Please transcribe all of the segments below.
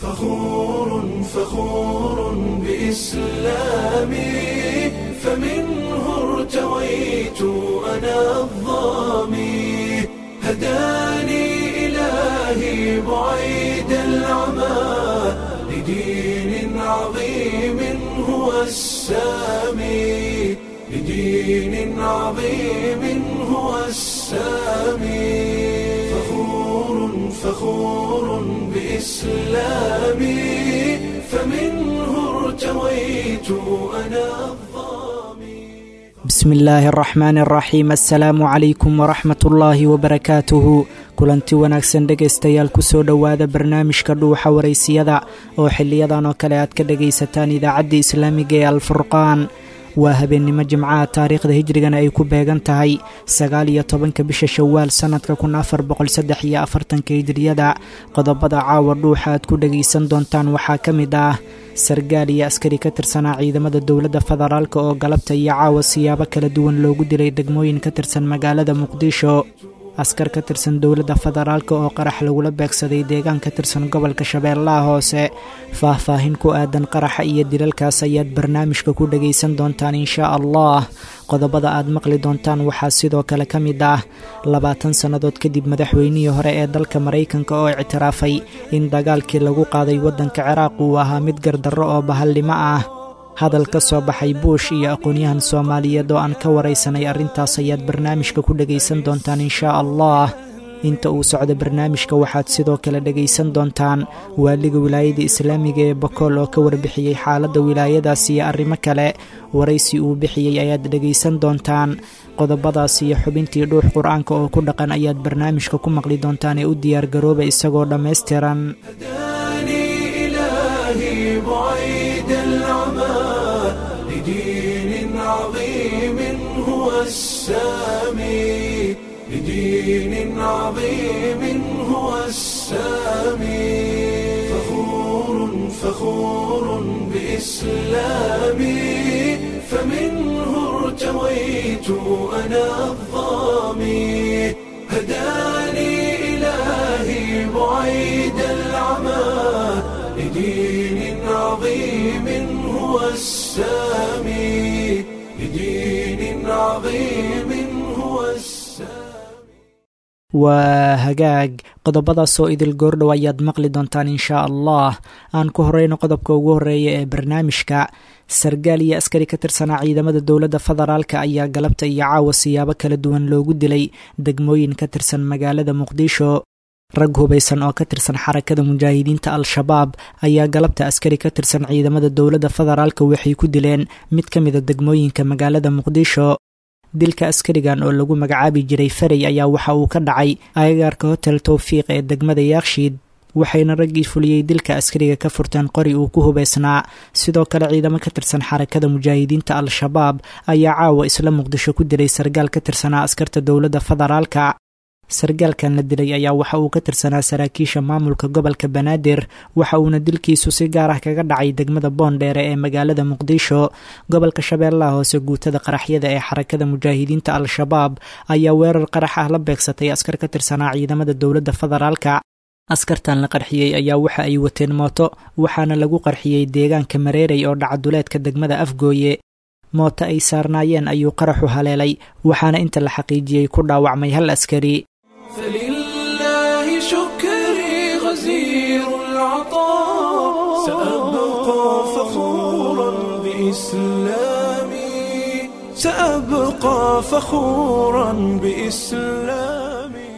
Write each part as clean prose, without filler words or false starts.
فخور فخور بإسلامي، فمنه ارتويت أنا الظامي، هداني إلهي بعيد العمى لدين عظيم هو السامي، لدين عظيم هو السامي. فخور فخور بإسلامي، فمنه ارتويت أنا الظامي. Bismi illaahi araxmaani araxiim. Assalaamu calaykum waraxmat ullaahi wabarakaatuhu. Kulanti wanaagsan dhegaystayaal, kusoo dhowaada barnaamijka Dhuuxa Waraysiyada oo xiliyadan oo kale aad ka dhagaysataan idaacadda islaamiga ee Alfurqaan. Waa habeennimo Jimcaha, taariikhda hijrigana ay ku beegan tahay 19-ka bisha Shawaal sannadka 1443-ka hijriyada. Qodobada caawa Dhuuxa aad ku dhagaysan doontaan waxaa ka mid ah sargaal iyo askari ka tirsanaa ciidamada dowladda federaalk oo galabta iyo caawa siyaabo kala duwan loogu dilay degmooyin ka tirsan magaalada Muqdisho, askar ka tirsan dowladda federaalk oo qarax lagula beegsaday deegaan ka tirsan gobolka Shabeellaha Hoose. Faahfaahin ku aadan qaraxa iyo dilalkaas ayaad barnaamijka ku dhagaysan doontaan inshaa Allah. Qodobada aad maqli doontaan waxaa sidoo kale ka mid ah 20 sannadood kadib madaxweynihii hore ee dalka Maraykanka oo ictiraafay in dagaalkii lagu qaaday waddanka Ciraaq uu ahaa mid gardarro oo bahallimo ah. Hadal ka soo baxay Buush iyo aqoon-yahan Soomaaliyeed oo aan ka waraysanay arrintaas ayaad barnaamijka ku dhagaysan doontaan inshaa Allah. Inta uu socdo barnaamijka waxaad sidoo kale dhagaysan doontaan waaliga wilaayada islaamiga ee Bakool oo ka warbixiyey xaaladda wilaayadaas iyo arrimo kale. Waraysi uu bixiyey ayaad dhagaysan doontaan. Qodobadaas iyo xubintii Dhuux Qur-aanka oo ku dhaqan ayaad barnaamijka ku maqli doontaan ee u diyaargarooba isagoo dhammaystiran. هداني إلهي بعيد العمى لدين عظيم هو السامي، لدين عظيم هو السامي. فخور فخور بإسلامي، فمنه ارتويت أنا الظامي، هداني إلهي بعيد العمى لدين عظيم هو السامي، لدين عظيم هو السامي. Waa hagaag, qodobadaasoo idil goordhow ayaad maqli doontaan inshaa Allah. Aan ku horeyno qodobka ugu horeeya ee barnaamijka. Sargaal iyo askari ka tirsanaa ciidamada dowladda federaalk ayaa galabta iyo caawa siyaabo kala duwan loogu dilay degmooyin ka tirsan magaalada Muqdisho. Rag hubaysan oo ka tirsan Xarakada Mujaahidiinta Al-Shabaab ayaa galabta askari ka tirsan ciidamada dowladda federaalk waxay ku dileen mid ka mida degmooyinka magaalada Muqdisho. Dilka askarigan oo lagu magacaabi jiray Farey ayaa waxa uu ka dhacay agagaarka Hotel Towfiiq ee degmada Yaakshiid, waxayna raggii fuliyey dilka askariga ka furteen qori uu ku hubaysnaa. Sidoo kale ciidamo ka tirsan Xarakada Mujaahidiinta Al-Shabaab ayaa caawa isla Muqdisho ku dilay sargaal ka tirsanaa askarta dowladda federaalka. Sargaalkan la dilay ayaa waxa uu ka tirsanaa saraakiisha maamulka gobolka Banaadir, waxa uuna dilkiisu si gaar ah kaga dhacay degmada Boondheere ee magaalada Muqdisho. Gobolka Shabeellaha Hoose, guutada qaraxyada ee Xarakada Mujaahidiinta Al-Shabaab ayaa weerar qarax ah la beegsatay askar ka tirsanaa ciidamada dowladda federaalka. Askartan la qarxiyey ayaa waxa ay wateen mooto, waxaana lagu qarxiyey deegaanka Mareerey oo dhacaduleedka degmada Afgooye. Mooto ay saarnaayeen ayuu qaraxu haleelay, waxaana inta la xaqiijiyey ku dhaawacmay hal askari. فلله شكري غزير العطاء، سأبقى فخورا بإسلامي، سأبقى فخورا بإسلامي.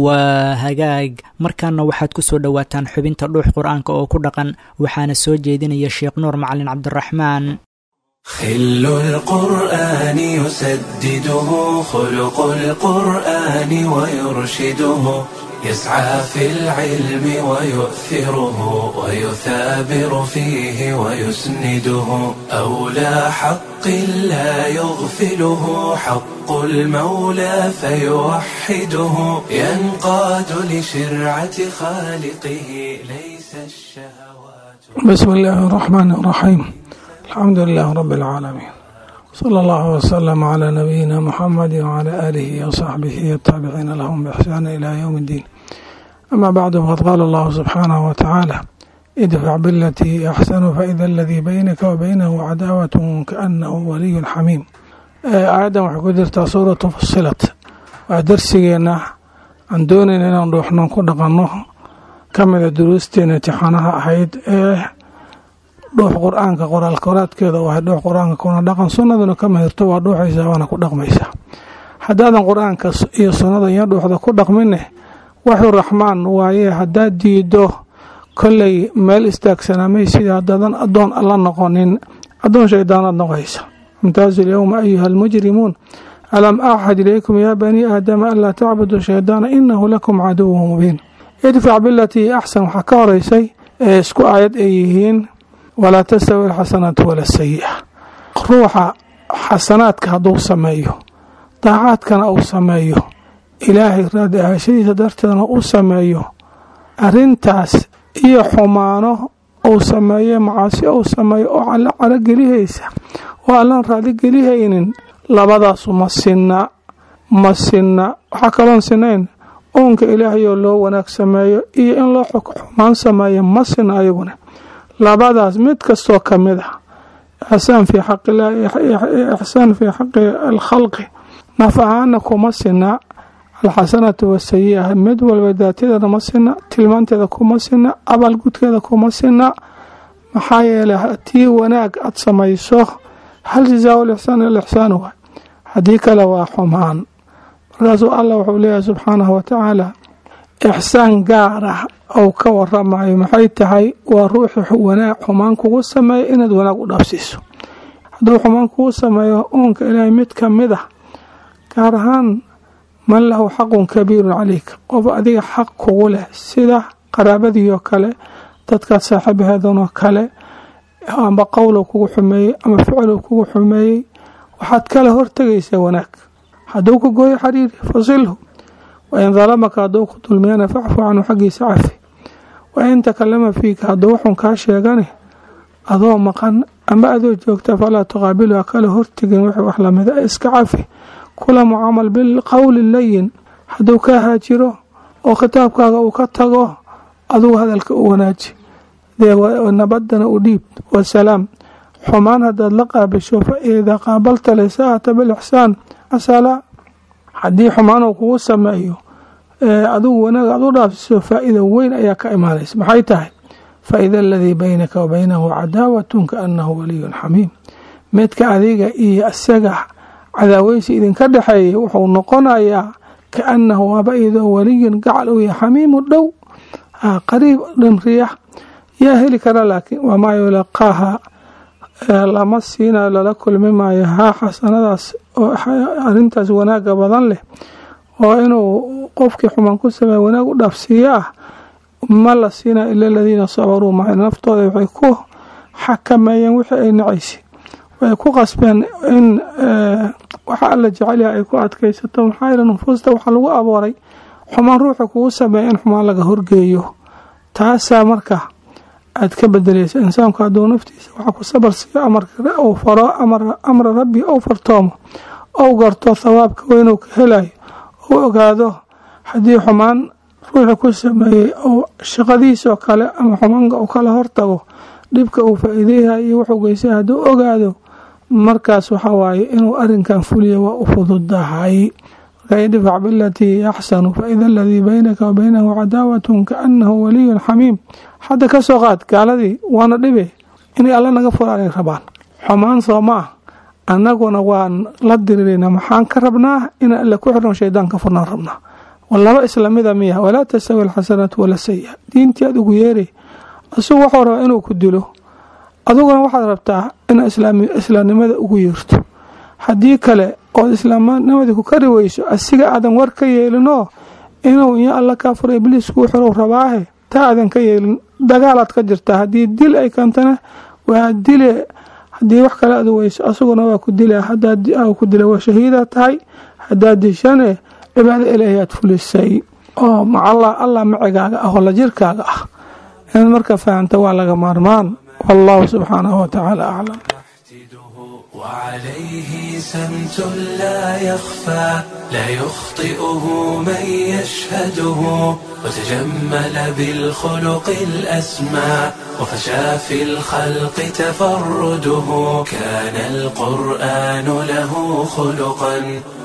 Waa hagaag, markaana waxaad ku soo dhowaataan xubinta Dhuux Qur-aanka oo ku dhaqan, waxaana soo jeedinaya Sheekh Nuur Macalin Cabdiraxmaan. خل القرآن يسدده خلق القرآن ويرشده، يسعى في العلم ويؤثره ويثابر فيه ويسنده، أولى حق لا يغفله حق المولى فيوحده، ينقاد لشرعة خالقه، ليس الشهوات. بسم الله الرحمن الرحيم. الحمد لله رب العالمين، صلى الله وسلم على نبينا محمد وعلى آله وصحبه والتابعين لهم بإحسان إلى يوم الدين. أما بعد، فقد قال الله سبحانه وتعالى: Idfac bilatii hiya axsanu faida aladii baynaka wa baynahu cadaawatun kaanahu waliyun xamiim. Aayaddan waxay ku jirtaa suuratu Fusilat. Waa darsigeenna aan doonayna inaan dhuuxnoon ku dhaqanno, ka mida duruusteena imtixaanaha ahayd ee dhuux qur-aanka qoraal koraadkeeda u ahay. Dhuux qur-aanka kuna dhaqan, sunnaduna kama hirto, waa dhuuxaysaa waana ku dhaqmaysaa. Haddaadan qur-aanka iyo sunnada iyo dhuuxda ku dhaqmine, waxuu raxmaan waaye haddaad diido, kolley meel istaagsanamay sida haddaadan addoon alla noqonin, addoon shaydaanaad noqonaysa. Imtaazu lyowma ayuha almujrimuun, alam axad ilaykum yaa banii aadama anlaa tacbuduu shaydaana inahu lakum caduwun mubiin. Idfac bilatii axsan waxaa ka horeysay ee isku aayad ay yihiin walaa tastawi alxasanaatu wala sayi'a. Ruuxa xasanaadka hadduu sameeyo, daacaadkana uu sameeyo, ilaahay raadi ahaashadiisa darteedna u sameeyo, arrintaas iyo xumaano uu sameeye, macaasi uu sameeyo oo alla calogelihaysa oo allaan raaligelihaynin, labadaasu ma sinna, ma sinna. Waxaa kaloon sinayn uunka ilaahayoo loo wanaag sameeyo iyo in loo xumaan sameeyo, ma sinna ayaguna. Labadaas mid kastoo ka mid ah, ixsaan fii xaqillah, ixsaan fii xaqi alkhalqi, naf ahaana kuma sinna. Alxasanatu wasayi-a mid walba daatadeeda ma sinna, tilmaanteeda kuma sinna, abaalgudkeeda kuma sinna. Maxaa yeelay, haddii wanaag aad samayso, hal jazaa lixsaan ila ixsaan waay, haddii kale waa xumaan. Markaasuu Allah wuxuu leeyahay subxaanahu watacaala ixsaan gaar ah ou ka waramayo. Maxay tahay? Waa ruuxi wanaag xumaan kugu sameeyo inaad wanaag u dhaafsiiso. Hadduu xumaan kugu sameeyo uunka ilaahay mid ka mid ah, gaar ahaan man lahu xaqun kabiirun calayk, qof adiga xaq kugu leh, sida qaraabadiioo kale, dadkaad saaxiibaheedanoo kale, amba qowlow kugu xumeeyey ama ficilow kugu xumeeyey, waxaad kala hortegaysaa wanaag. Hadduu ku gooyo xariiri, fasilhu. Wain dalamaka, hadduu ku dulmiyana, facfu canhu, xaggiisa cafi. Wain takalama fiika, hadduu waxun kaa sheegane adoo maqan ama adoo joogta, falaa tuqaabilu, ha kala hortegin wixii wax lamida, iska cafi, kula mucaamal bilqowli layin. Hadduu kaa haajiro oo khitaabkaaga uu ka tago, adugu hadalka u wanaaji, nabadana u dhiib, wasalaam. Xumaan haddaad la qaabisho, fa idaa qaabalta lisaa'ata bilixsaan asala. Haddii xumaan uu kugu sameeyo, adigu wanaag aad u dhaafsiso, faa-ida weyn ayaa ka imaanaysa. Maxay tahay? Faida aladii baynaka wa baynahu cadaawatun kaanahu waliyun xamiim. Midka adiga iyo isaga cadaaweysi idinka dhexeeyay wuxuu noqonayaa kaanahu waaba iyadoo waliyun gacal uu yahay, xamiimu dhow, qariib dhimriya. Yaa heli kara? Laakiin wamaa yulaqaaha, lama siinayo, lala kulmi maayo haa xasanadaas oo arrintaas wanaaga badan leh oo inuu qofkii xumaan ku sameeya wanaag u dhaafsiiyo ah, ma la siinayo ila aladiina sabaruu. Maca naftooda waxay ku xakameeyeen wixii ay nacaysay, waxay ku qasbeen in waxa alla jecelyaha ay ku adkaysato. Maxaa yeele, nufuusta waxaa lagu abuuray xumaan ruuxa kugu sameeya in xumaan laga horgeeyo. Taasaa marka aad ka bedelaysa. Insaanku hadduu naftiisa waxa ku sabar siiyo, amarka uu faro, amra rabbi ou fartoomo, ou garto thawaabka weynuu ka helayo, ou ogaado haddii xumaan ruuxa ku sameeyey ou shaqadiisoo kale ama xumaanka uu kala hortago, dhibka uu faa-iideyaha iyo wuxuu geystay hadduu ogaado, markaas waxa waaye inuu arrinkan fuliyo waa u fududahay. Marka idfac bilatii axsanu faida aladii baynaka wa baynahu cadaawatun kaanahu waliyun xamiim. Hadda ka soo qaad gaaladii waana dhibe inay alla naga furaanay rabaan xumaan, soo ma ah? Annaguna waan la dirirayna. Maxaan ka rabnaa? Inaan alla ku xirno, shaydaan ka furnaan rabnaa. Laba islamida miya? Walaa tastawi alxasanaatu wala sayi-a. Diintii aad ugu yeeray, isagu waxuu rabaa inuu ku dilo, adiguna waxaad rabtaa inaad islaamnimada ugu yeerto. Haddii kale ood islaamnimadii ku kari weyso, asiga aadan war ka yeelinoo inuu iyo alla kaa furo ibliis kuu xirow rabaahe, taa aadan ka yeelin, dagaalaad ka jirtaa. Haddii dil ay keentana waa dile, haddii wax kale aad weyso asaguna waa ku dila. Hadaad ku dila waa shahiida tahay, haddaad dishane cibaado ilaahi aad fulisay oo macalla allah macigaaga ah oo la jirkaaga ah. Inaad marka fahamta waa laga maarmaan. Wallahu subxaanahu wa tacaala aclam. وعليه سمت لا يخفى، لا يخطئه من يشهده، وتجمل بالخلق الأسمى، وفشى في الخلق تفرده. كان القرآن له خلقا،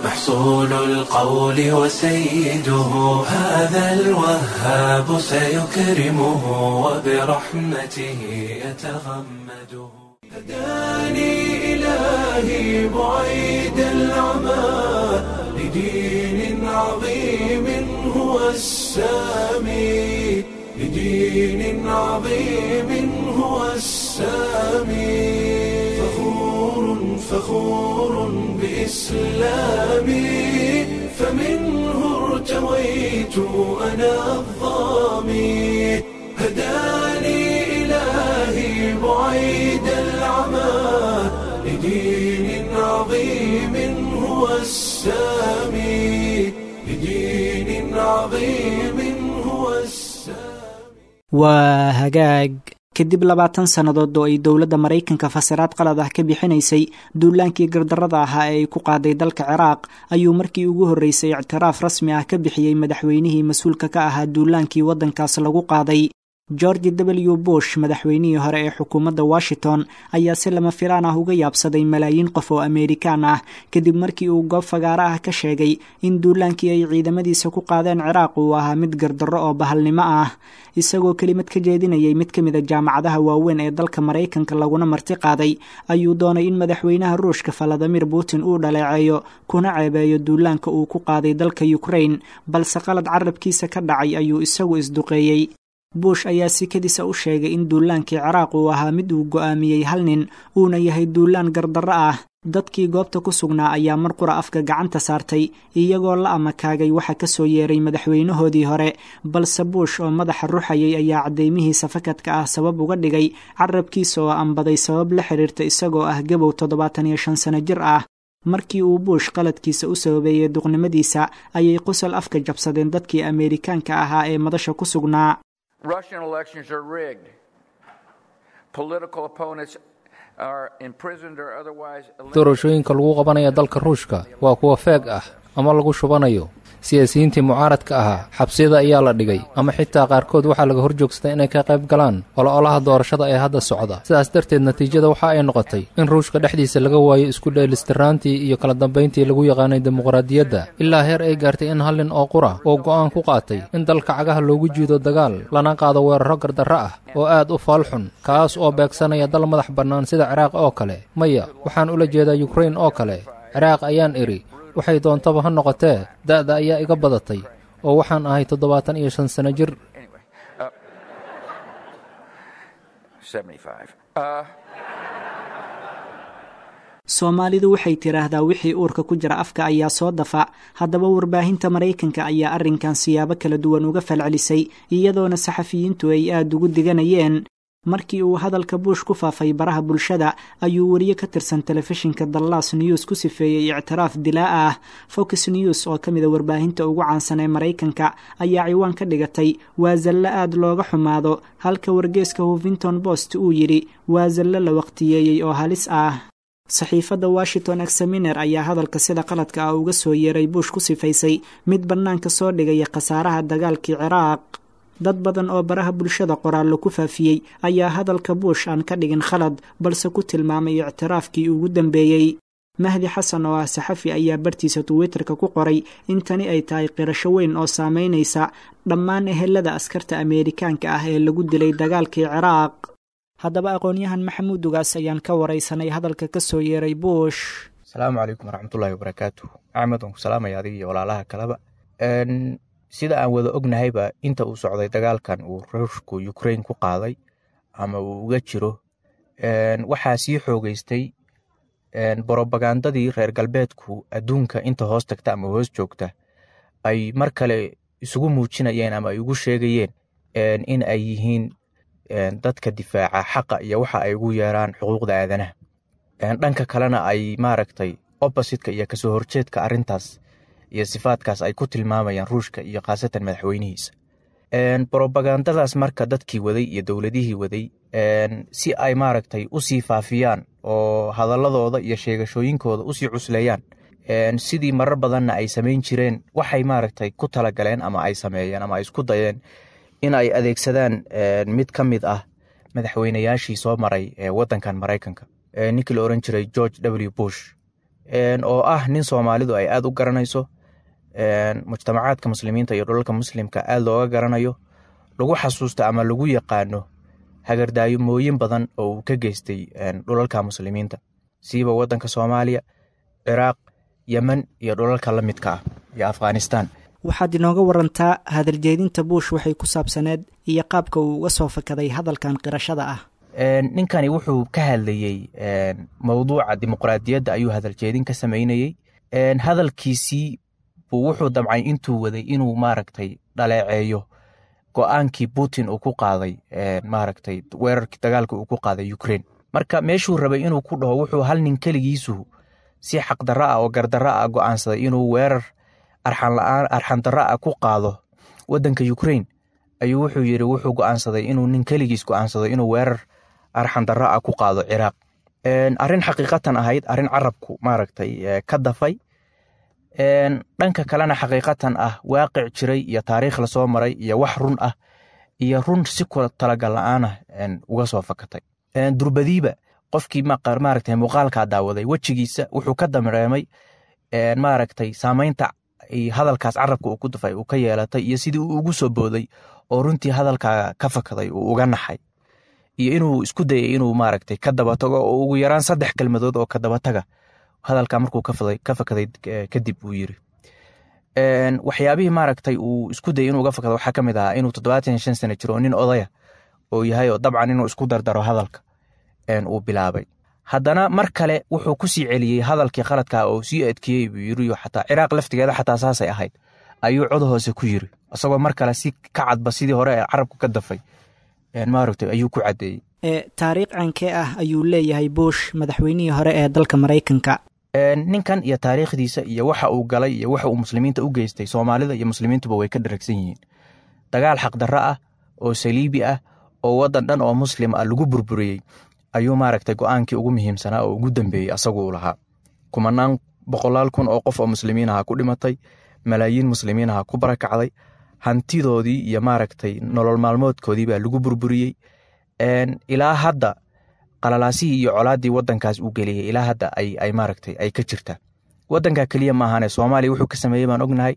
محصول القول وسيده. هذا الوهاب سيكرمه، وبرحمته يتغمده. هداني إلهي بعيد العمى لدين عظيم هو السامي، لدين عظيم هو السامي. فخور فخور بإسلامي، فمنه ارتويت أنا الظامي. هداني إلهي بعيد العمى لدين عظيم هو السامي، لدين عظيم هو السامي. Waa hagaag. Kadib 20 sannadood oo ay dowladda Maraykanka fasiraad qalad ah ka bixinaysay duulaankii gardarrada ahaa ee ay ku qaaday dalka Ciraaq, ayuu markii ugu horreysay ictiraaf rasmi ah ka bixiyey madaxweynihii mas-uulka ka ahaa duulaankii waddankaas lagu qaaday. George W Bush, madaxweynihii hore ee xukuumadda Washington, ayaa si lama filaan ah uga yaabsaday malaayiin qof oo Ameerikaan ah kadib markii uu goob fagaaro ah ka sheegay in duulaankii ay ciidamadiisa ku qaadeen Ciraaq uu ahaa mid gardarro oo bahalnimo ah. Isagoo kelimad ka jeedinayay mid ka mida jaamacadaha waaweyn ee dalka Maraykanka laguna marti qaaday, ayuu doonay in madaxweynaha Ruushka Valadimir Putin uu dhaleeceeyo kuna ceebeeyo duulaanka uu ku qaaday dalka Ukraine, balse qalad carabkiisa ka dhacay ayuu isagu isduqeeyey. Bush ayaa si kadisa u sheegay in duulaankii Ciraaq uu ahaa mid uu go'aamiyey hal nin, uuna yahay duulaan gardarro ah. Dadkii goobta ku sugnaa ayaa mar qura afka gacanta saartay, iyagoo la amakaagay waxa ka soo yeeray madaxweynahoodii hore. Balse Bush oo madaxa ruxayay ayaa caddeymihiisa fakadka ah sabab uga dhigay carabkiisa oo ambaday sabab la xiriirta isagoo ah gabow 75 sano jir ah. Markii uu Bush qaladkiisa u sababeeyey duqnimadiisa, ayay qosol afka jabsadeen dadkii Ameerikaanka ahaa ee madasha ku sugnaa. Russian elections are rigged. Political opponents are imprisoned or otherwise eliminated. Doorashooyinka lagu qabanaya dalka Ruushka waa kuwa feeg ah ama lagu shubanayo. Siyaasiyiintii mucaaradka ahaa xabsiyada ayaa la dhigay, ama xitaa qaarkood waxaa laga hor joogsaday inay ka qayb galaan ololaha doorashada ee hadda socda. Sidaas darteed, natiijada waxa ay noqotay in Ruushka dhexdiisa laga waayo isku dheelistiraantii iyo kala dambayntii lagu yaqaanay dimuqraadiyadda, ilaa heer ay gaartay in hal nin oo qura oo go'aan ku qaatay in dalka cagaha loogu jiido dagaal, lana qaado weerarro gardarro ah oo aad u faalxun, kaas oo beegsanaya dal madax bannaan sida Ciraaq oo kale. Maya, waxaan ula jeedaa Yukrain oo kale. Ciraaq ayaan idhi. Waxay doontaba ha noqotee, da'da ayaa iga badatay oo waxaan ahay 75 sano jir. Anyway, 75. Soomaalidu waxay tidhaahdaa wixii uurka ku jira afka ayaa soo dafa. Haddaba, warbaahinta Maraykanka ayaa arrinkan siyaabo kala duwan uga falcelisay, iyadoona saxafiyiintu ay aada ugu diganayeen. Markii uu hadalka Bush ku faafay baraha bulshada, ayuu weriye ka tirsan telefishinka Dallas News ku sifeeyey ictiraaf dilaa ah. Fox News oo ka mida warbaahinta ugu caansan ee Maraykanka ayaa ciwaan ka dhigatay "Waa zallo aad looga xumaado", halka wargeeska Huffington Post uu yidhi "Waa zallo la waqtiyeeyey oo halis ah". Saxiifadda Washington Examiner ayaa hadalka sida qaladka ah uga soo yeeray Bush ku sifaysay mid bannaanka soo dhigaya khasaaraha dagaalkii Ciraaq. Dad badan oo baraha bulshada qoraallo ku faafiyey ayaa hadalka Bush aan ka dhigin khalad, balse ku tilmaamay ictiraafkii ugu dambeeyey. Mahdi Xasan oo ah saxafi ayaa bartiisa Twitterka ku qoray in tani ay tahay qirasho weyn oo saameynaysa dhammaan ehelada askarta Ameerikaanka ah ee lagu dilay dagaalkii Ciraaq. Haddaba, aqoon-yahan Maxamuud Ugaas ayaan ka waraysanay hadalka ka soo yeeray Bush. Asalaamu calaykum waraxmatullaahi wabarakaatu. Axmed, waan ku salaamaya adiga iyo walaalaha kaleba. Sida aan wada ognahayba, inta uu socday dagaalkan uu Ruushku Ukraine ku qaaday ama uu uga jiro, waxaa sii xoogeystay borobagandadii reer galbeedku adduunka inta hoos tagta ama hoos joogta ay mar kale isugu muujinayeen ama ay ugu sheegayeen in ay yihiin dadka difaaca xaqa iyo waxa ay ugu yeeraan xuquuqda aadanaha, dhanka kalena ay maaragtay opposite-ka iyo kasoo horjeedka arrintaas iyo sifaadkaas ay ku tilmaamayaan Ruushka iyo khaasatan madaxweynihiisa. Brobagandadaas marka dadkii waday iyo dowladihii waday si ay maaragtay usii faafiyaan oo hadaladooda iyo sheegashooyinkooda usii cusleeyaan, sidii marar badanna ay samayn jireen, waxay maaragtay ku talagaleen ama ay sameeyeen ama ay isku dayeen in ay adeegsadaan mid ka mid ah madaxweynayaashii soo maray waddankan Maraykanka, ninkii la oran jiray George W Bush, oo ah nin Soomaalidu ay aad u garanayso, mujtamacaadka muslimiinta iyo dhulalka muslimka aad looga garanayo, lagu xasuusto ama lagu yaqaano hagardaayomooyin badan oo uu ka geystay dhulalka muslimiinta, siiba waddanka Soomaaliya, Ciraaq, Yemen iyo dhulalka la midka ah iyo Afghanistan. Waxaad inooga warantaa hadaljeedinta Bush waxay ku saabsaneed iyo qaabka uu uga soo fakaday hadalkan qirashada ah. Ninkani wuxuu ka hadlayey mowduuca dimuqraadiyadda ayuu hadaljeedin ka samaynayey. Hadalkiisii buu wuxuu damcay intuu waday inuu maaragtay dhaleeceeyo go-aankii Putin uu ku qaaday maaragtay weerarkii dagaalka uu ku qaaday Ukraine. Marka meeshuu rabay inuu ku dhaho wuxuu hal nin keligiisu si xaqdarro ah oo gardarro ah go'aansaday inuu weerar arxan la'aan arxandarro ah ku qaado waddanka Ukraine, ayuu wuxuu yidhi wuxuu go'aansaday inuu nin keligiis go'aansado inuu weerar arxandarro ah ku qaado Ciraaq. Arrin xaqiiqatan ahayd arrin carabku maaragtay ka dafay, dhanka kalena xaqiiqatan ah waaqic jiray iyo taariikh lasoo maray iyo wax run ah iyo run si kula talagal la'aan ah uga soo fakatay. Durbadiiba qofkii maaragtay muuqaalkaa daawaday wejigiisa wuxuu ka dareemay maaragtay saamaynta hadalkaas carabka uu ku dafay uu ka yeelatay iyo sidii uu ugu soo booday oo runtii hadalkaa ka fakaday uu uga naxay, iyo inuu isku dayay inuu maaragtay ka daba tago oo ugu yaraan 3 kelmadood oo ka daba taga hadalkaa markuu ka fakaday kadib uu yiri. Waxyaabihii maaragtay uu isku dayay inuu uga fakado waxaa ka mid ahaa inuu 75 sano jiro oo nin odaya oo yahay, oo dabcan inuu isku dardaro hadalka uu bilaabay. Haddana mar kale wuxuu ku sii celiyey hadalkii khaladkaa oo sii adkeeyey buu yiri, xataa Ciraaq laftigeeda xataa saasay ahayd ayuu cod hoose ku yiri, isagoo mar kale si ka cadba sidii hore ee carabku ka dafay maaragtay ayuu ku caddeeyey. Taariikh cankee ah ayuu leeyahay Bush, madaxweynihii hore ee dalka Maraykanka? Ninkan iyo taariikhdiisa iyo waxa uu galay iyo waxa uu muslimiinta u geystay, Soomaalida iyo muslimiintuba way ka dharagsan yihiin. Dagaal xaqdarro ah oo saliibi ah oo waddan dhan oo muslim ah lagu burburiyey ayuu maaragtay go'aankii ugu muhiimsanaa oo ugu dambeeyey asagu uu lahaa. Kumanaan boqolaal kun oo qof oo muslimiin aha ku dhimatay, malaayiin muslimiin aha ku barakacday, hantidoodii iyo maaragtay nolol maalmoodkoodii baa lagu burburiyey. Ilaa hadda qalalaasihii iyo colaaddii waddankaas uu geliyey ilaa hadda ay maaragtay ay ka jirtaa. Waddanka keliya maahane, Soomaaliya wuxuu ka sameeyey baan ognahay.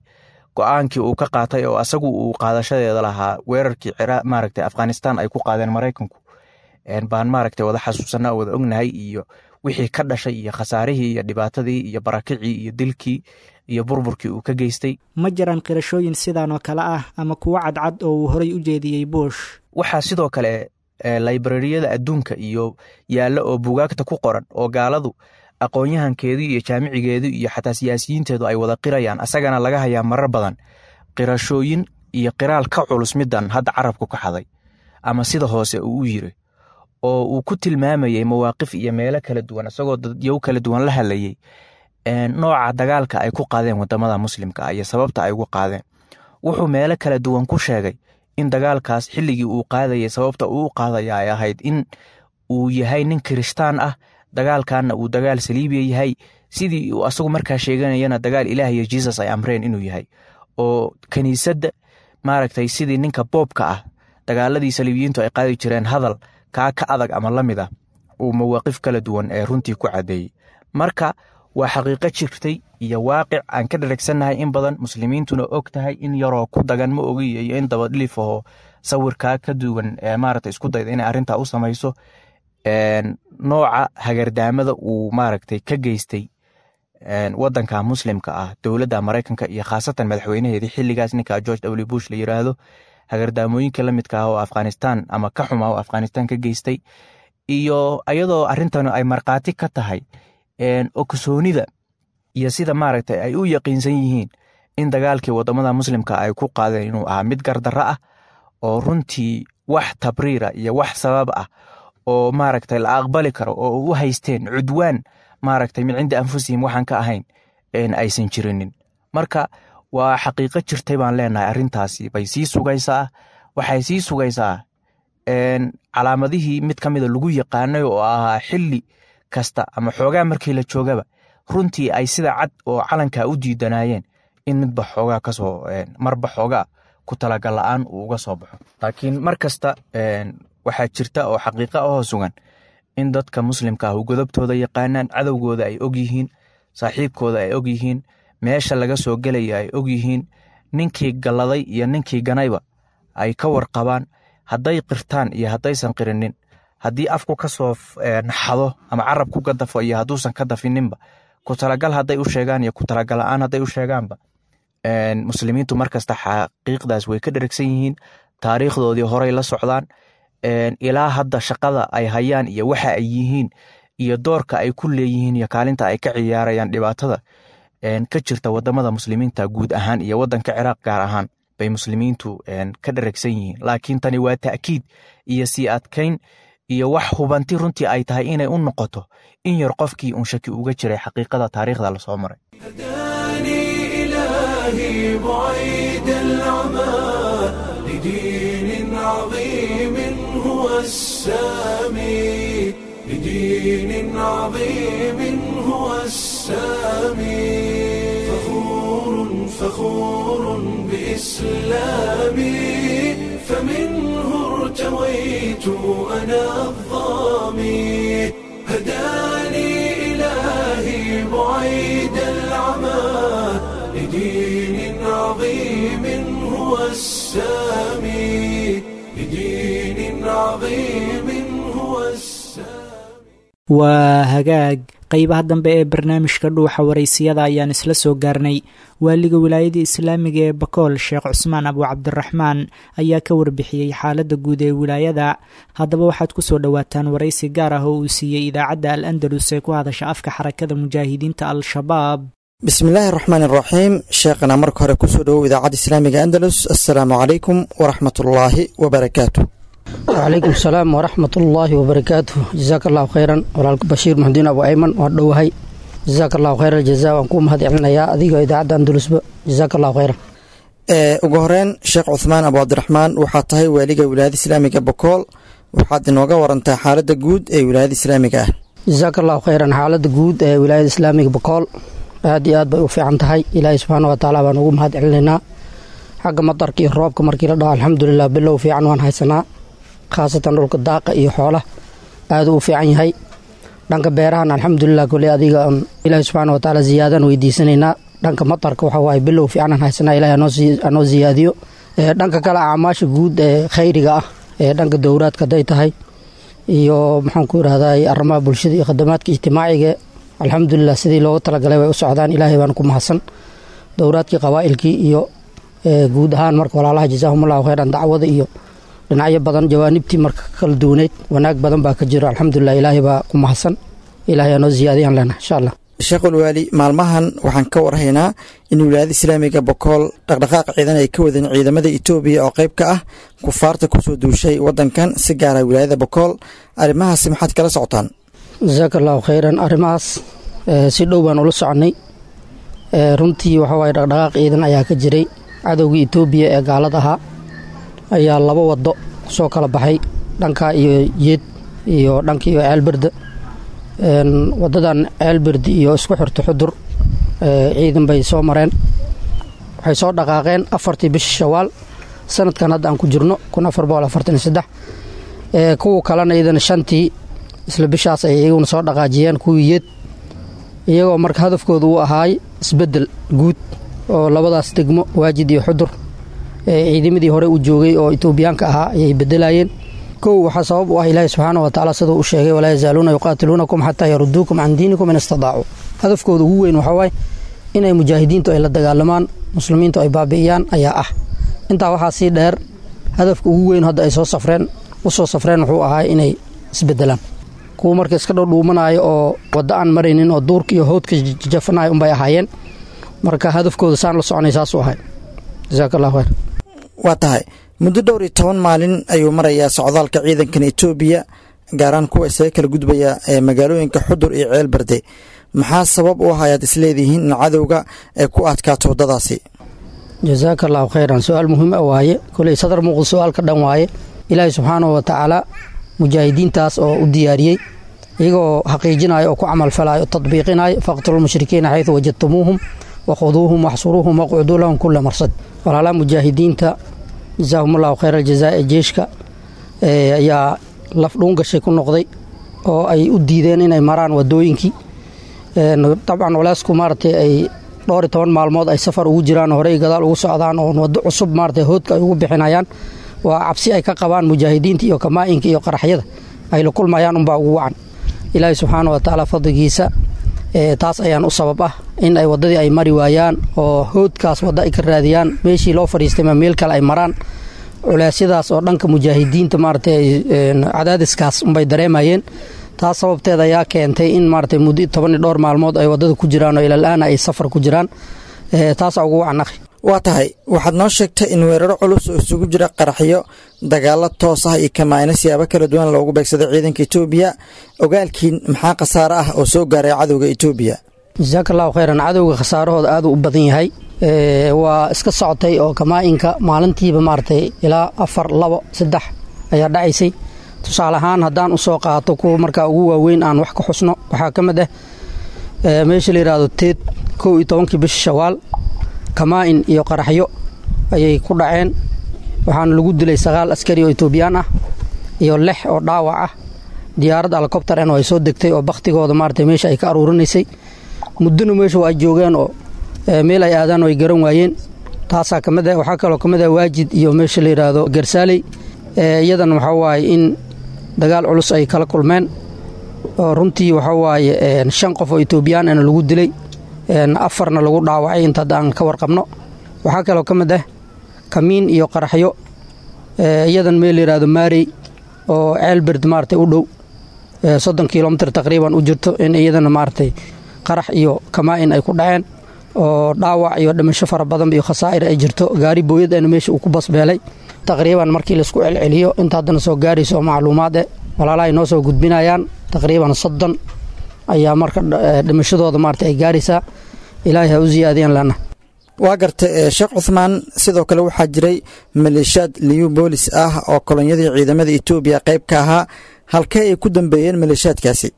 Go'aankii uu ka qaatay oo asagu uu qaadashadeeda lahaa weerarkii Ciraaq maaragtay Afghanistan ay ku qaadeen Maraykanku baan maaragtay wada xasuusanaa oo wada ognahay, iyo wixii ka dhashay iyo khasaarihii iyo dhibaatadii iyo barakicii iyo dilkii iyo burburkii uu ka geystay. Ma jiraan qirashooyin sidan oo kale ah ama kuwo cadcad oo uu horay u jeediyey Bush? Waxaa sidoo kale librariyada adduunka iyo yaalla oo buugaagta ku qoran oo gaaladu aqoon-yahankeedu iyo jaamicigeedu iyo xataa siyaasiyiinteedu ay wada qirayaan, asagana laga hayaa marar badan qirashooyin iyo qiraal ka culus midan hadda carabku ka xaday ama sida hoose uu u yiri, oo uu ku tilmaamayey mawaaqif iyo meelo kala duwan isagoo dadyow kala duwan la hadlayey nooca dagaalka ay ku qaadeen wadamada muslimka ah iyo sababta ay ugu qaadeen. Wuxuu meelo kala duwan ku sheegay in dagaalkaas xilligii uu qaadayay sababta uu u qaadaya ay ahayd in uu yahay nin kirishtaan ah, dagaalkanna uu dagaal saliibiya yahay, sidii uu asagu markaa sheeganayana dagaal Ilaah iyo Jesus ay amreen inuu yahay, oo kiniisadda maaragtay sidii ninka boobka ah dagaaladii saliibiyiintu ay qaadi jireen hadal kaa ka adag ama la mid ah uu mawaaqif kala duwan ee runtii ku caddeeyey. Marka waa xaqiiqo jirtay iyo waaqic aan ka dharagsannahay in badan, muslimiintuna og tahay, in yaroo ku dagan ma ogiyo iyo in dabadhilif aho sawirkaa ka duwan ee maaragtay isku dayda inay arrintaa u samayso. Nooca hagardaamada uu maaragtay ka geystay waddanka muslimka ah dowladda Maraykanka iyo khaasatan madaxweynaheedii xilligaas ninka George W Bush la yiraahdo, hagardaamooyinka la midka ah oo Afghanistan ama ka xumaa oo Afghanistan ka geystay, iyo ayadoo arrintan ay markhaati ka tahay ogsoonida iyo sida maaragtay ay u yaqiinsan yihiin in dagaalkii wadamada muslimka ay ku qaadeen inuu ahaa mid gardarro ah oo runtii wax tabriira iyo wax sabab ah oo maaragtay la aqbali karo oo u haysteen cudwaan maaragtay min cindi anfusihim waxaan ka ahayn aysan jirinin. Marka waa xaqiiqo jirtay baan leenahay, arrintaasi bay sii sugaysaa. Waxay sii sugaysaa calaamadihii mid ka mida lagu yaqaanay oo ahaa xilli kasta ama xoogaa markii la joogaba runtii ay sida cad oo calanka u diidanaayeen in midba xoogaa kasoo marba xoogaa ku talagal la-aan uu uga soo baxo. Laakiin mar kasta waxaa jirta oo xaqiiqa ahoo sugan in dadka muslimka ah godobtooda yaqaanaan, cadowgooda ay og yihiin, saaxiibkooda ay og yihiin, meesha laga soo gelaya ay og yihiin, ninkii galladay iyo ninkii ganayba ay ka warqabaan, hadday qirtaan iyo haddaysan qirinin, haddii afku ka soo naxado ama carab ku gadafo iyo hadduusan ka dafininba, ku talagal hadday u sheegaan iyo ku talagal la-aan hadday u sheegaanba, muslimiintu markasta xaqiiqdaas way ka dheragsan yihiin, taariikhdoodii horay la socdaan, ilaa hadda shaqada ay hayaan iyo waxa ay yihiin iyo doorka ay ku leeyihiin iyo kaalinta ay ka ciyaarayaan dhibaatada ka jirta wadamada muslimiinta guud ahaan iyo wadanka Ciraaq gaar ahaan bay muslimiintu ka dheragsan yihiin. Laakiin tani waa ta'kiid iyo sii adkayn iyo wax hubanti runtii ay tahay inay u noqoto in yar qofkii uun shaki uga jiray xaqiiqada taariikhda lasoo maray. هداني إلهي بعيد العمى لدين عظيم هو السامي، لدين عظيم هو السامي، فخور فخور بإسلامي، فمنه ارتويت أنا الظامي، هداني إلهي بعيد العمى لدين عظيم هو السامي، لدين عظيم هو السامي. Waa hagaag. Qeybaha dambe ee barnaamijka Dhuuxa Waraysiyada ayaan isla soo gaarnay. Waaliga Wilaayada Islaamiga ee Bakool, Sheekh Cusmaan Abu Cabdiraxmaan, ayaa ka warbixiyey xaaladda guud ee wilaayada. Haddaba waxaad kusoo dhowaataan waraysi gaar ah oo uu siiyey idaacadda Al Andalus ee ku hadasha afka Xarakada Mujaahidiinta Al-Shabaab. Bismillaahi raxmaan iraxiim. Sheekhana, marka hore kusoo dhowow Idaacadda Islaamiga Andalus. Assalaamu calaykum waraxmatullaahi wabarakaatu. Wacalaykum asalaam waraxmat ullaahi wabarakaatuh. Jasaaka allahu khayran, walaalka Bashiir Muxudiin Abu Ayman, waa dhowahay. Jasaaka allahu khayra aljaza, waan kuu mahad celinayaa adiga idaacadda Andalusba. Jasaaka allahu khayran. Ugu horeyn, Sheekh Cuthmaan Abu Cabdiraxmaan, waxaad tahay waaliga Wilaayada Islaamiga Bokool. Waxaad inooga warantaa xaaladda guud ee wilaayada islaamiga ah. Jasaaka allahu khayran. Xaaladda guud ee Wilaayada Islaamiga Bokool aad iyo aad bay u fiican tahay. Ilaahay subxaana wa tacaala baan ugu mahad celinaynaa. Xagga matarka iyo roobka markii la dhaho, alxamdulilah, bilow fiican waan haysanaa, khaasatan dhulka daaqa iyo xoolaha aada u fiican yahay. Dhanka beerahana alxamdulilah, koley adiga ilaahi subxaana wa tacaala ziyaadaan weydiisanaynaa. Dhanka matarka waxa waaye bilow fiicanaan haysanaa, ilahi hanoo ziyaadiyo. Dhanka kale acmaasha guud ee khayriga ah ee dhanka dowraadka hadday tahay iyo maxaan ku irahdaa arrimaha bulshada iyo khadamaadka ijtimaaciga, alxamdulilah, sidii loogu talagalay way u socdaan. Ilaahay baan ku mahadsan. Dowraadkii qabaa'ilkii iyo guud ahaan marka walaalaha jazaahumullahu khayran, dacwada iyo dhinacyo badan jawaanibtii marka kala duwaneyd wanaag badan baa ka jiro, alxamdulilah, ilaahay baa ku mahadsan. Ilaahay anoo ziyaadiyaan leenahay insha Allah. Sheekhulwaali, maalmahan waxaan ka warhaynaa in Wilaayada Islaamiga Bokool dhaqdhaqaaq ciidan ay ka wadeen ciidamada Itoobiya oo qayb ka ah kufaarta kusoo duushay waddankan, si gaara wilaayada Bokool. Arrimahaasi maxaad kala socotaan? Jasaaka allahu khayran. Arrimahaas si dhow baan ula soconay. Runtii waxa waaye dhaqdhaqaaq ciidan ayaa ka jiray. Cadowgii Itoobiya ee gaalada ahaa ayaa laba waddo kusoo kala baxay, dhankaa iyo Yeed iyo dhanka iyo Ceelberda. Wadadan Ceelberdi iyo isku xirta Xudur ciidan bay soo mareen. Waxay soo dhaqaaqeen 4tii bishii Shawaal sanadkan hadda aan ku jirno 1443. Kuwa kalena iyadana 5tii isla bishaas ay iyaguna soo dhaqaajiyeen, kuwii Yeed, iyagoo marka hadafkooda uu ahaay isbeddel guud oo labadaas degmo Waajid iyo Xudur ciidamadii hore u joogay oo Itoobiyaanka ahaa ayay bedelayeen. Kow, waxaa sabab u ah Ilaahi subxaana wa tacaala siduu u sheegay: "Walaa yazaaluuna yuqaatiluunakum xataa yaruduukum can diinikum in istadaacuu." Hadafkooda ugu weyn waxaa waaye inay mujaahidiintu ay la dagaalamaan, muslimiintu ay baabi'iyaan ayaa ah. Intaa waxaa sii dheer, hadafka ugu weyn hadda ay soo safreen u soo safreen wuxuu ahaa inay isbedelaan. Kuwa marka iska dhowdhuumanaayo oo waddo aan maraynin oo duurka iyo howdka jafanayo unbay ahaayeen. Marka hadafkooda saan la soconay saasuu ahay. Jasaaka allahu khayr. Waa tahay, muddo dhowr iyo toban maalin ayuu marayaa socdaalka ciidankan Itoobiya, gaaraan kuwa isaga kala gudbaya ee magaalooyinka Xudur iyo Ceelbarde. Maxaa sabab u ah ayaad isleedihiin in cadowga ay ku adkaato waddadaasi? Jazaaka allahu khayran. Su-aal muhiim ah waaye, koley sadar muuqda su-aal ka dhan waaye. Ilaahay subxaanahu wa tacaala mujaahidiintaas oo u diyaariyey iyagoo xaqiijinayo oo ku camalfalayo oo tadbiiqinayo, faqtulu lmushrikiina xaytu wajadtumuuhum wakhuduuhum waxsuruuhum waqcuduu lahum kula marsad. Walaalaha mujaahidiinta jazaahum allahu khayra aljazaa ee jeeshka ayaa laf dhuungashay ku noqday oo ay u diideen inay maraan wadooyinkii. Dabcan culeysku maaragtay ay dhowr iyo toban maalmood ay safar ugu jiraan, horey gadaal ugu socdaan oo waddo cusub maaragtay hoodka ay ugu bixinayaan, waa cabsi ay ka qabaan mujaahidiinta iyo kamaa'inka iyo qaraxyada ay la kulmayaan unbaa ugu wacan. Ilaahay subxaana wa tacaala fadligiisa taas ayaan u sabab ah in ay waddadii ay mari waayaan oo hoodkaas waddo ay ka raadiyaan, meeshii loo fadhiistay ma meel kale ay maraan. Culeysyadaas oo dhanka mujaahidiinta maaragtay cadaadiskaas unbay dareemayeen. Taas sababteed ayaa keentay in maaragtay muddo toban iyo dhowr maalmood ay waddada ku jiraan oo ilal-aana ay safar ku jiraan. Taasaa ugu wacan akhi. Waa tahay, waxaad noo sheegtay in weeraro culus oo isugu jira qaraxyo, dagaallo toos ah iyo kamaa'ino siyaabo kala duwan loogu beegsaday ciidanka Etoobiya. Ogaalkiin maxaa khasaare ah oo soo gaaray cadowga Etoobiya? Jazaaka allahu khayran. Cadowga khasaarahooda aad u badan yahay. Waa iska socotay oo kamaa'inka maalintiiba maaragtay ilaa 4, 2, 3 ayaa dhacaysay. Tusaale ahaan haddaan usoo qaato kuwa markaa ugu waaweyn aan wax ka xusno, waxaa ka mid ah meesha la yidhaahdo Teed, 11-kii bisha Shawaal, kamaa'in iyo qaraxyo ayay ku dhaceen. Waxaana lagu dilay 9 askari oo Etoobiyaan ah iyo 6 oo dhaawac ah. Diyaarad helicopter oo ay soo degtay oo bakhtigooda maaragtay meesha ay ka aruurinaysay. Muddona meesha waa ay joogeen oo meel ay aadaan oo ay garan waayeen. Taasaa ka mid ah. Waxaa kaloo ka mid ah Waajid iyo meesha la yidhaahdo Garsaaley, iyadan waxaa waaye in dagaal culus ay kala kulmeen oo runtii waxaa waaye 5 qof oo Etoobiyaan ana lagu dilay, 4na lagu dhaawacay inta hadda aan ka warqabno. Waxaa kaloo ka mid ah kamiin iyo qaraxyo, iyadan meel la yidhaahdo Maarey oo Ceelberd maaragtay u dhow, 30 kilomitir taqriiban u jirto, in iyadana maaragtay qarax iyo kamaa'in ay ku dhaceen oo dhaawac iyo dhimasho fara badan iyo khasaa'ir ay jirto. Gaari booyad ana meesha uu ku basbeelay. Taqriiban markii laisku celceliyo inta haddana soo gaarayso oo macluumaad eh walaalaha ay noo soo gudbinayaan, taqriiban 30 ayaa marka dhimashadooda maaragtay ay gaaraysaa. Ilaahay ha u ziyaadiyaan lana. Waa gartay Sheekh Cuthmaan. Sidoo kale waxaa jiray maleeshiyaad liyu boolis ah oo kolonyadii ciidamada Etoobiya qayb ka ahaa, halkee ay ku dambeeyeen maleeshiyaadkaasi?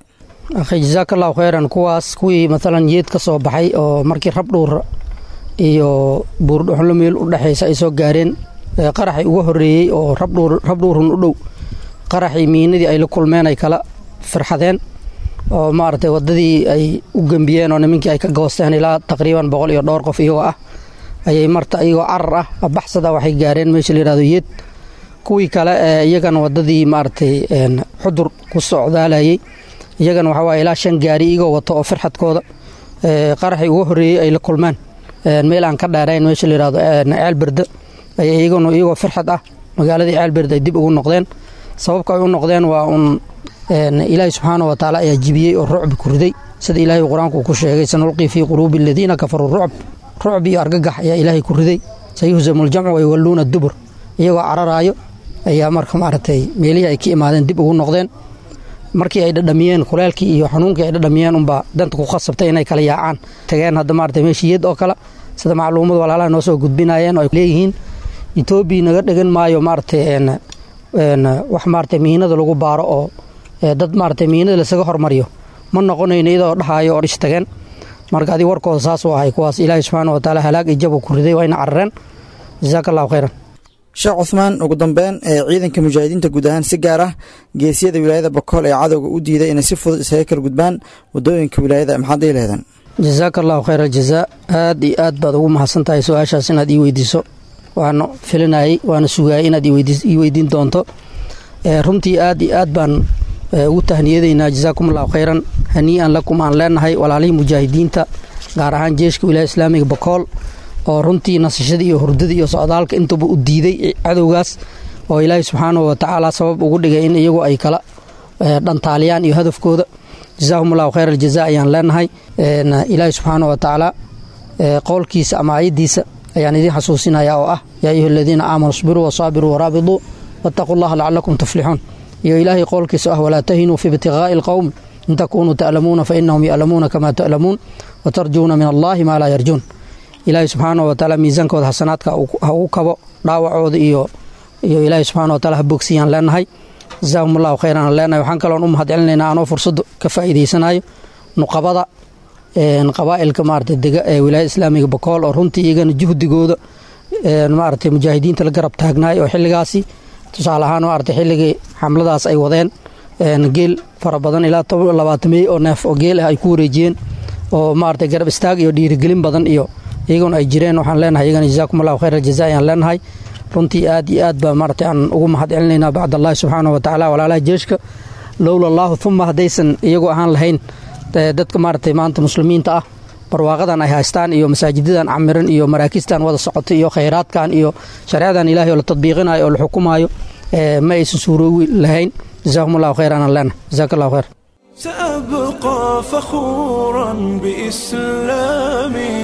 Akhi jazaaka allahu khayran. Kuwaas kuwii maalan Yeed ka soo baxay oo markii Rabdhuur iyo Buurdhuxunlo meel u dhexaysa ay soo gaareen, qaraxii uga horreeyey oo Rabdhuur, Rabdhuurun u dhow, qaraxii miinadii ay la kulmeen ay kala firxadeen oo maaragtay waddadii ay u gembiyeen oo nimankii ay ka goosteen ilaa taqriiban 100 iyo dhowr qof iyagoo ah ayay marta iyagoo carar ah baxsada waxay gaareen meesha la yidhahdo Yeed. Kuwii kale ee iyagana waddadii maaragtay Xudur ku socdaalayay, iyagana waxaa waaye ilaa 5 gaari iyagoo wato oo firxadkooda qaraxii uga horreeyey ay la kulmeen meel aan ka dheerayn meesha la yidhahdo Ceelberde ay iyaguna iyagoo firxad ah magaaladii Ceelberde ay dib ugu noqdeen. Sababka ay u noqdeen waa un Ilaahay subxaana wa tacaala ayaa jibiyey oo rucbi ku riday, sida Ilaahay qur-aanku uu ku sheegay, sanulqii fii quluubi aladiina kafaruu rucb. Rucbi iyo argagax ayaa Ilaahay ku riday. Sayuhzamu ljamcu wayuwalluuna dubur. Iyagoo cararaayo ayaa marka maaragtay meelihii ay ka imaadeen dib ugu noqdeen. Markii ay dhadhamiyeen kuleelkii iyo xanuunkii ay dhadhamiyeen unbaa danta ku khasabtay inay kala yaacaan tageen hadda maaragtay meeshii Yeed oo kale, sida macluumad walaalaha noo soo gudbinayeen oo ay leeyihiin Etoobiya naga dhigan maayo maaragtay wax maaragtay miinada lagu baaro oo dad maaragtay miinada lasaga hormariyo ma noqonayno, iyadoo dhahaayo oo dhis tageen. Marka adig warkooda saas u ahay. Kuwaas Ilaahay subxaana wa tacaala halaag iyo jab uu ku riday, wayna carareen. Jazaaka allahu khayran. Sheekh Cuthmaan, ugu dambeyn ee ciidanka mujaahidiinta guud ahaan, si gaar ah geesiyada wilaayada Bakool ee cadowga u diiday inay si fudud isaga kala gudbaan waddooyinka wilaayada, maxaad dhihi laheedeen? Jazaaka allahu khayr aljazaa. Aad iyo aad baad ugu mahadsan tahay su-aashaas inaad ii weydiiso. Waana filinayay waana sugaayay inaad ii weydiin doonto. Runtii aad iyo aad baan ugu tahniyadaynaa. Jazaakum allahu khayran, hanii'an lakum aan leenahay walaalihii mujaahidiinta, gaar ahaan jeeshka wilaaya islaamiga Bakool oo runtii nasashadii iyo hurdadii iyo socdaalka intuba u diiday cadowgaas, oo Ilaahay subxaanahu wa tacaala sabab ugu dhigay in iyagu ay kala dhantaaliyaan iyo hadafkooda. Jazaahum allahu khayr aljazaa ayaan leenahay. Ilaahay subxaanahu wa tacaala qowlkiisa ama aayaddiisa ayaan idiin xasuusinayaa oo ah, yaa ayuha aladiina aamanuu isbiruu wasaabiruu waraabiduu wattaquu allaha lacalakum tuflixuun, iyo Ilaahay qowlkiisa ah, walaa tahinuu fi ibtiqaa'i alqowm in takunuu ta'lamuuna fa inahum ya'lamuuna kama ta'lamuun watarjuuna min allahi maa laa yarjuun. Ilaahay subxaana wa tacaala miisaankooda xasanaadka ha ugu kabo, dhaawacooda iyo ilaahay subxana wa taala ha bogsiyaan leenahay. Jazaahum allahu khayran aan leenahay. Waxaan kaloon u mahad celinaynaa anoo fursadda ka faa'iidaysanayo nuqabada qabaa'ilka maarata dega ee wilaayada islaamiga Bakool, oo runtii iyagana juhdigooda maarata mujaahidiinta la garab taagnaay, oo xilligaasi tusaale ahaan maarata xilligii xamladaas ay wadeen geel fara badan ilaa 20 oo neef oo geel ah ay ku wareejiyeen, oo maarata garab istaag iyo dhiirigelin badan iyo iyaguna ay jireen. Waxaan leenahay iyagana jazaakum allahu khayr aljaza ayaan leenahay. Runtii aad iyo aad baa maarata aan ugu mahad celinaynaa bacd allahi subxaana wa tacaala walaalaha jeeshka. Lowla allaahu uma haddaysan iyagu ahaan lahayn, dadka maaratay maanta muslimiinta ah barwaaqadan ay haystaan iyo masaajidadan camiran iyo maraakistan wada socota iyo khayraadkan iyo shareecadan ilahay oo la tadbiiqinayo oo la xukumaayo ma aysan suuroowi lahayn. Jazaahum allahu khayran aan leenahay. Jazaak allahu khayr. سأبقى فخورا بإسلامي.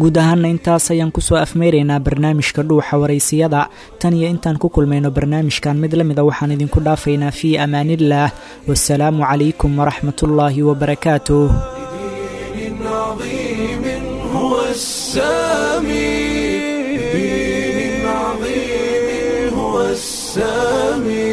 Guud ahaana intaas ayaan kusoo afmeyraynaa barnaamijka Dhuuxa Waraysiyada. Tan iyo intaan ku kulmayno barnaamijkan mid la mida, waxaan idinku dhaafaynaa fii amaaniillaah, wasalaamu calaykum waraxmatullaahi wabarakaatuh. دين عظيم هو السامي، دين عظيم هو السامي.